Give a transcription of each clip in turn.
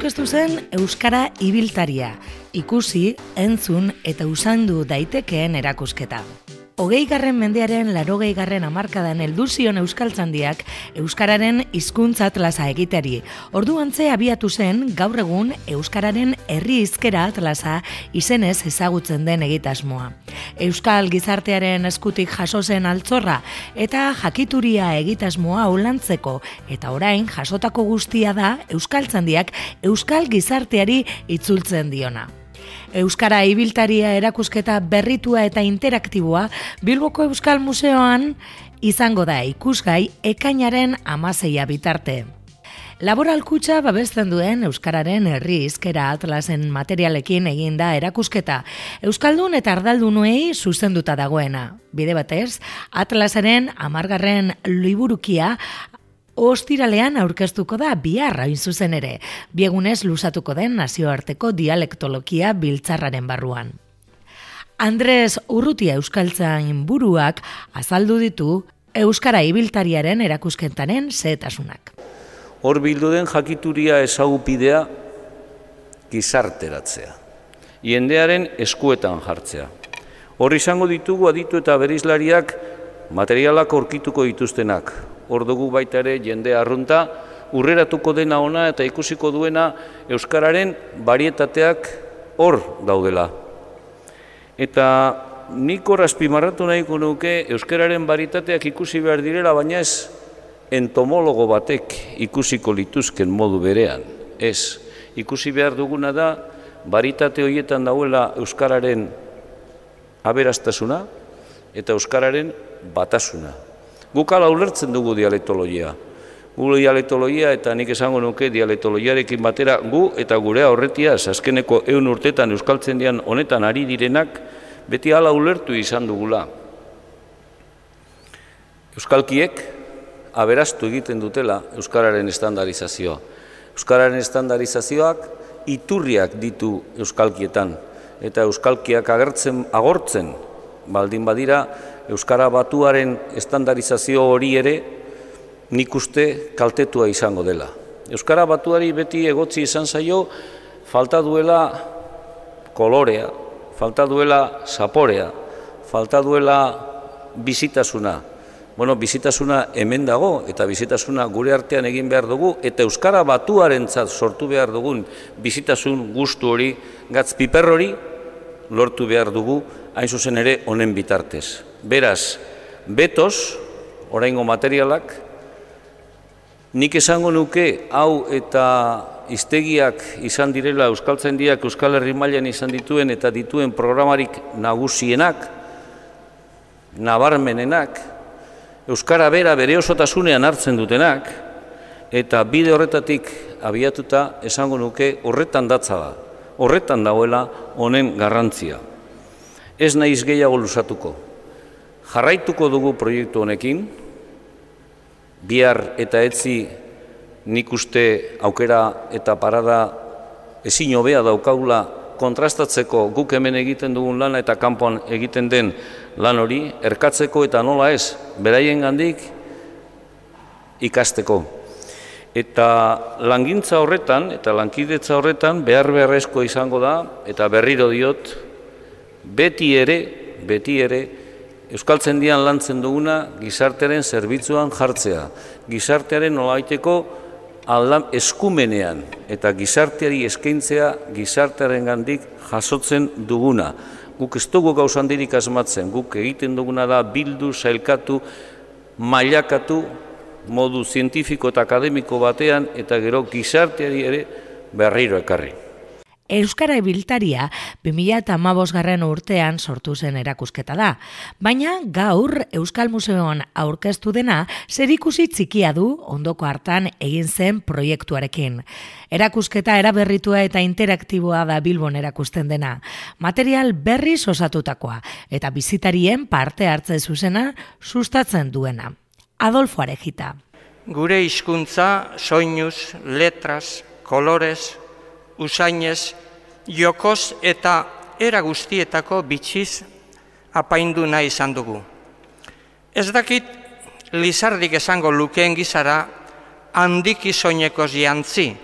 Aurkeztu zen Euskara ibiltaria, ikusi, entzun eta usaindu daitekeen erakusketa. 20. mendearen 80. hamarkadan heldu zion Euskaltzaindiak Euskararen hizkuntza atlasa egiteari. Orduantze abiatu zen gaur egun Euskararen herri hizkera atlasa izenez ezagutzen den egitasmoa. Euskal gizartearen eskutik jaso zen altzorra eta jakituria egitasmoa ulantzeko eta orain jasotako guztia da Euskaltzaindiak Euskal gizarteari itzultzen diona. Euskara ibiltaria erakusketa berritua eta interaktiboa Bilboko Euskal Museoan izango da ikusgai ekainaren 16 bitarte. Laboral Kutxa babesten duen Euskararen herri hizkera atlasen materialekin eginda erakusketa, Euskaldun eta ardaldunuei zuzenduta dagoena. Bide batez, atlasaren 10. liburukia ostiralean aurkeztuko da bihar hain zuzen ere, biegunez luzatuko den nazioarteko dialektologia biltzarraren barruan. Andres Urrutia Euskaltzain buruak azaldu ditu Euskara ibiltariaren erakusketaren xehetasunak. Hor bildu den jakituria ezagupidea gizarteratzea, jendearen eskuetan jartzea. Hor izango ditugu aditu eta bereizlariak materialak aurkituko dituztenak. Hor dugu baita ere jende arrunta, urreratuko dena ona eta ikusiko duena Euskararen barietateak hor daudela. Eta nik hor azpimarratu nahiko nuke Euskararen barietateak ikusi behar direla, baina ez entomologo batek ikusiko lituzken modu berean. Ez, ikusi behar duguna da baritate horietan dauela Euskararen aberastasuna eta Euskararen batasuna. Guk hala ulertzen dugu dialektologia. Gu dialektologia eta nik esango nuke dialektologiarekin batera gu eta gure aurretiaz azkeneko 100 urtetan Euskaltzaindian honetan ari direnak beti hala ulertu izan dugula. Euskalkiek aberastu egiten dutela Euskararen estandarizazioa. Euskararen estandarizazioak iturriak ditu Euskalkietan eta Euskalkiak agortzen baldin badira Euskara batuaren estandarizazio hori ere nik uste kaltetua izango dela. Euskara batuari beti egotzi izan zaio falta duela kolorea, falta duela zaporea, falta duela bizitasuna. Bueno, bizitasuna hemen dago eta bizitasuna gure artean egin behar dugu eta Euskara batuarentzat sortu behar dugun bizitasun gustu hori, gatz piper hori lortu behar dugu hain zuzen ere honen bitartez. Beraz, betoz, oraingo materialak, nik esango nuke hau eta hiztegiak izan direla Euskaltzaindiak Euskal Herri mailan izan dituen eta dituen programarik nagusienak, nabarmenenak, Euskara bera bere osotasunean hartzen dutenak, eta bide horretatik abiatuta esango nuke horretan datza da, horretan dagoela honen garrantzia. Ez naiz gehiago luzatuko. Jarraituko dugu proiektu honekin, bihar eta etzi nik uste aukera eta parada ezin hobea daukagula kontrastatzeko guk hemen egiten dugun lana eta kanpoan egiten den lan hori, erkatzeko eta nola ez, beraiengandik ikasteko. Eta langintza horretan eta lankidetza horretan beharrezko izango da, eta berriro diot, beti ere, Euskaltzaindian lantzen duguna gizartearen zerbitzuan jartzea, gizartearen nolabaiteko eskumenean eta gizarteari eskaintzea gizartearengandik jasotzen duguna. Guk ez dugu gauza handirik asmatzen, guk egiten duguna da bildu, sailkatu, mailakatu, modu zientifiko eta akademiko batean eta gero gizarteari ere berriro ekarri. Euskara Ibiltaria 2015 urtean sortu zen erakusketa da, baina gaur Euskal Museoan aurkeztu dena zerikusi txikia du ondoko hartan egin zen proiektuarekin. Erakusketa eraberritua eta interaktiboa da Bilbon erakusten dena, material berriz osatutakoa eta bizitarien parte hartze zuzena sustatzen duena. Adolfo Arejita. Gure hizkuntza soinuz, letras, kolorez, usainez, jokoz eta era guztietako bitxiz apaindu nahi izan dugu. Ez dakit Lizardik esango lukeen gizara handiki soinekoz jantzi,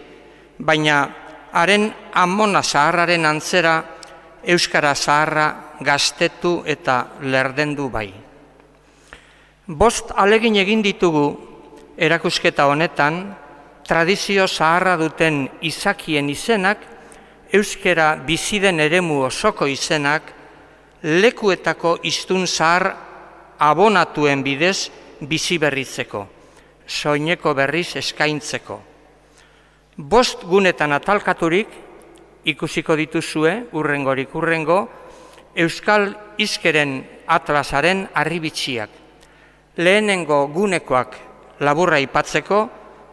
baina haren amona zaharraren antzera euskara zaharra gaztetu eta lerdendu bai. 5 alegin egin ditugu erakusketa honetan, tradizio zaharra duten izakien izenak, euskara biziden eremu osoko izenak, lekuetako hiztun zahar abonatuen bidez biziberritzeko, soineko berriz eskaintzeko. 5 gunetan atalkaturik, ikusiko dituzue, urrengorik urrengo, Euskal Hizkeren Atlasaren harribitxiak. Lehenengo gunekoak laburra aipatzeko,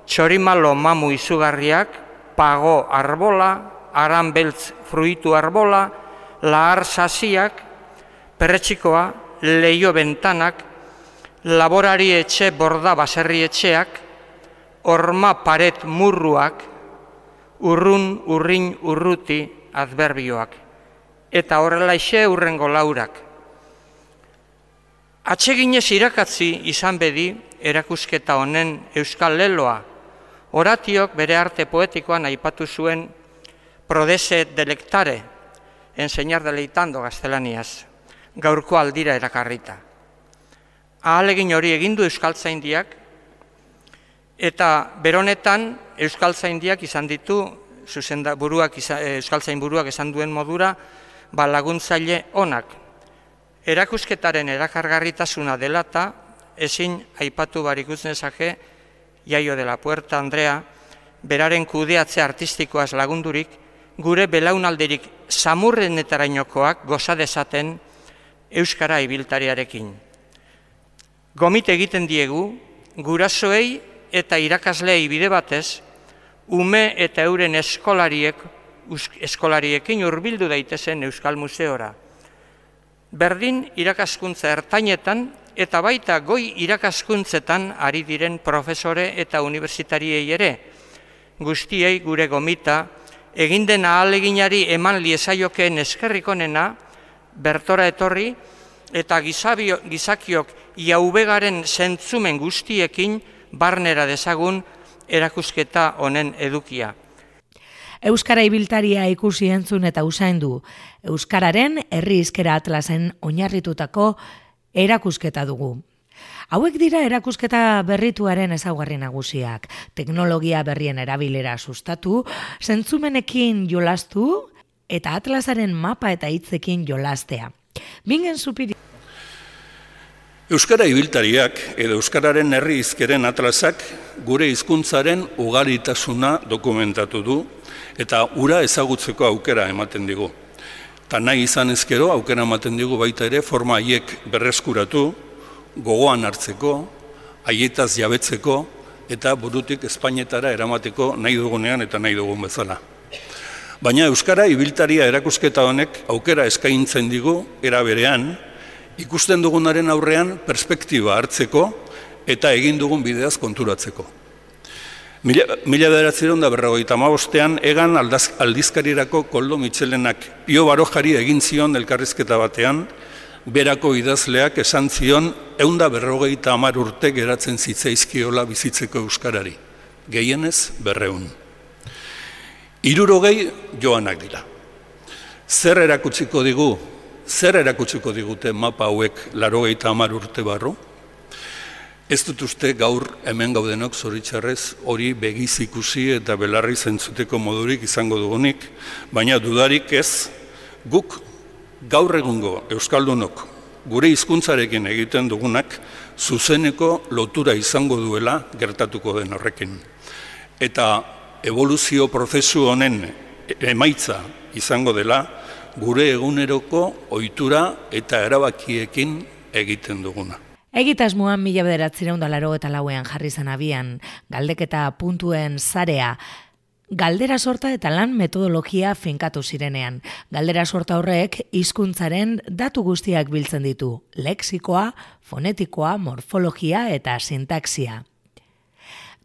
txorimalo mamu izugarriak, pago arbola, aranbeltz fruitu arbola, lahar sasiak, perretxikoa, leio bentanak, laborari etxe borda baserri etxeak, horma paret murruak, urrun, urrin, urruti adberbioak. Eta horrelaixe urrengo laurak. Atseginez irakatzi izan bedi erakusketa honen euskal leloa, Horatiok bere arte poetikoan aipatu zuen prodese delectare, enseñar deleitando gaztelaniaz, gaurko aldira erakarrita. Ahalegin hori egindu Euskaltzaindiak, eta beronetan Euskaltzaindiak izan ditu, Euskaltzainburuak esan duen modura, laguntzaile onak. Erakusketaren erakargarritasuna dela eta ezin aipatu barik uznezake Jaio de la Puerta Andrea, beraren kudeatze artistikoaz lagundurik, gure belaunaldirik samurrenetarainokoak goza dezaten Euskara Ibiltariarekin. Gomite egiten diegu, gurasoei eta irakasleei bide batez, ume eta euren eskolariekin hurbildu daitezen Euskal Museora. Berdin irakaskuntza ertainetan eta baita goi irakaskuntzetan ari diren profesore eta unibertsitariei ere, guztiei gure gomita, eginden ahaleginari eman liezaiokeen eskerrik onena, bertora etorri eta gizakiok jaubegaren zentzumen guztiekin barnera dezagun erakusketa honen edukia. Euskara Ibiltaria ikusi entzun eta usaindu, Euskararen herri hizkera atlasen oinarritutako erakusketa dugu. Hauek dira erakusketa berrituaren ezaugarri nagusiak, teknologia berrien erabilera sustatu, zentzumenekin jolastu eta atlasaren mapa eta hitzekin jolastea. Bingen Zupiri. Euskara Ibiltariak edo Euskararen herri hizkeren atlasak gure hizkuntzaren ugaritasuna dokumentatu du eta ura ezagutzeko aukera ematen digu. Ta nahi izan ezkero aukera ematen digu baita ere forma haiek berreskuratu, gogoan hartzeko, haietaz jabetzeko eta burutik Espainetara eramateko nahi dugunean eta nahi dugun bezala. Baina Euskara Ibiltaria erakusketa honek aukera eskaintzen digu era berean, ikusten dugunaren aurrean perspektiba hartzeko eta egin dugun bideaz konturatzeko. 1955ean Egan aldizkarirako Koldo Mitxelenak Pio Barojari egin zion elkarrizketa batean, berako idazleak esan zion 150 urte geratzen zitzaizkiola bizitzeko euskarari, gehienez 200. 60 joanak dira. Zer erakutsiko digute mapa hauek 80 urte barru? Ez dut uste gaur hemen gaudenok zoritxarrez hori begiz ikusi eta belarri zentzuteko modurik izango dugunik, baina dudarik ez, guk gaur egungo euskaldunok gure hizkuntzarekin egiten dugunak zuzeneko lotura izango duela gertatuko den horrekin. Eta eboluzio prozesu honen emaitza izango dela gure eguneroko ohitura eta erabakiekin egiten duguna. Egitasmoan 1984ean jarri zen abian, galdeketa puntuen sarea, galdera sorta eta lan metodologia finkatu zirenean. Galdera sorta horrek hizkuntzaren datu guztiak biltzen ditu, lexikoa, fonetikoa, morfologia eta sintaxia.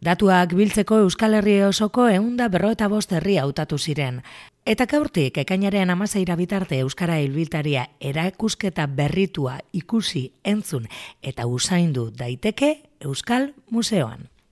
Datuak biltzeko Euskal Herri osoko 155 herri hautatu ziren. Eta gaurtik ekainaren 16 bitarte Euskara Ibiltaria erakusketa berritua ikusi, entzun eta usaindu daiteke Euskal Museoan.